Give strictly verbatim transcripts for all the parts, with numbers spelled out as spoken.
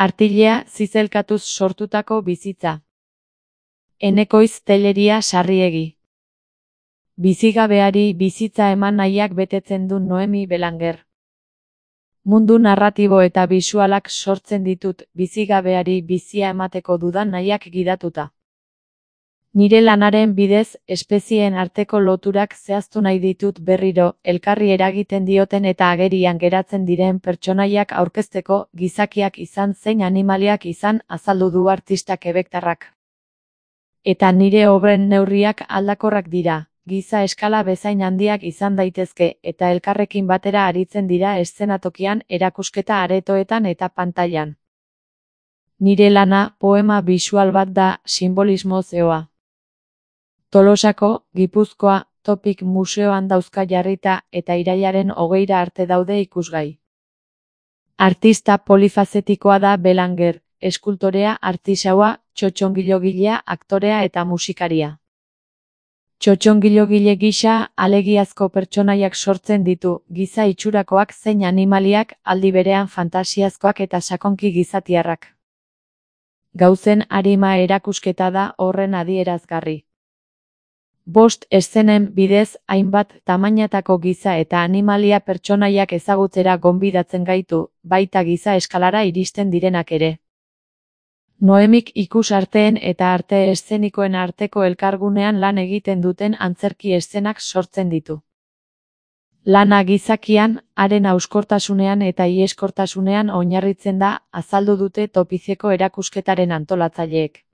Artilea zizelkatuz sortutako bizitza. Enekoiz Telleria Sarriegi. Bizigabeari bizitza eman nahiak betetzen du Noemi Belanger. Mundu narratibo eta bisualak sortzen ditut bizigabeari bizia emateko dudan nahiak gidatuta. Nire lanaren bidez, espezieen arteko loturak zehaztu nahi ditut berriro, elkarri eragiten dioten eta agerian geratzen diren pertsonaiak aurkezteko, gizakiak izan zein animaliak izan azaldu du artista quebectarrak. Eta nire obren neurriak aldakorrak dira, giza eskala bezain handiak izan daitezke, eta elkarrekin batera aritzen dira eszenatokian, erakusketa aretoetan eta pantailan. Nire lana, poema bisual bat da, simbolismo zeoa. Tolosako, Gipuzkoa, Topik museoan dauzka jarrita eta irailaren hogeira arte daude ikusgai. Artista polifazetikoa da Belanger, eskultorea, artisaua, txotxongilogilea, aktorea eta musikaria. Txotxongilogile gisa, alegiazko pertsonaiak sortzen ditu, giza itxurakoak zein animaliak, aldi berean fantasiazkoak eta sakonki gizatiarrak. Gauzen arima erakusketa da horren adierazgarri. Bost eszenen bidez hainbat tamainatako giza eta animalia pertsonaiak ezagutzera gonbidatzen gaitu, baita giza eskalara iristen direnak ere. Noemik ikusarteen eta arte eszenikoen arteko elkargunean lan egiten duten antzerki eszenak sortzen ditu. Lana gizakian, haren hauskortasunean eta iheskortasunean oinarritzen da, azaldu dute Topiceko erakusketaren antolatzaileek.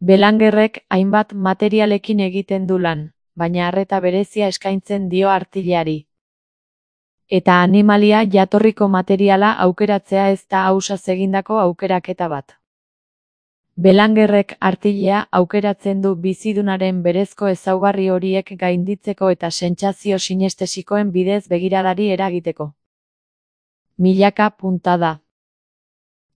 Belangerrek hainbat materialekin egiten du lan, baina arreta berezia eskaintzen dio artileari. Eta animalia jatorriko materiala aukeratzea ez da ausaz egindako aukeraketa bat. Belangerrek artilea aukeratzen du bizidunaren berezko ezaugarri horiek gainditzeko eta sentsazio sinestesikoen bidez begiradari eragiteko. Milaka puntada.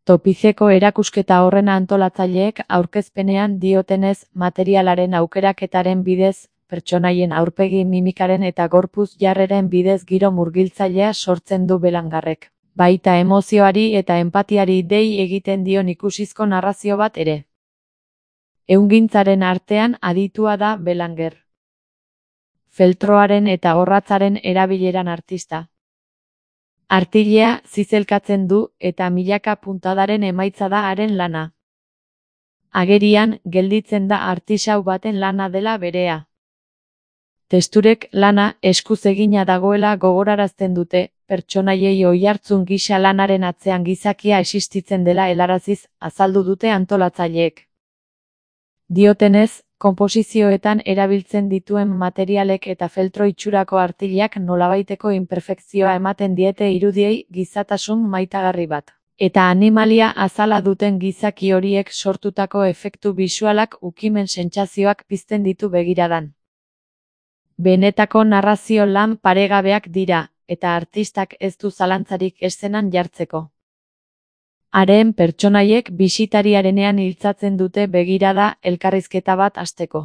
Topiceko erakusketa horren antolatzaileek aurkezpenean diotenez materialaren aukeraketaren bidez, pertsonaien aurpegi mimikaren eta gorpuz jarreren bidez giro murgiltzailea sortzen du Belangerrek, baita emozioari eta enpatiari dei egiten dion ikusizko narrazio bat ere. Ehungintzaren artean aditua da Belanger. Feltroaren eta orratzaren erabileran artista. Artilea zizelkatzen du eta milaka puntadaren emaitza da haren lana. Agerian, gelditzen da artisau baten lana dela berea. Testurek lana eskuz egina dagoela gogorarazten dute, pertsonaiei oihartzun gisa lanaren atzean gizakia existitzen dela helaraziz, azaldu dute antolatzaileek. Diotenez, konposizioetan erabiltzen dituen materialek eta feltro itxurako artileak nolabaiteko inperfekzioa ematen diete irudiei gizatasun maitagarri bat. Eta animalia azala duten gizaki horiek sortutako efektu bisualak ukimen sentsazioak pizten ditu begiradan. Benetako narrazio lan paregabeak dira, eta artistak ez du zalantzarik eszenan jartzeko. Haren pertsonaiek bisitariarenean iltzatzen dute begirada elkarrizketa bat hasteko.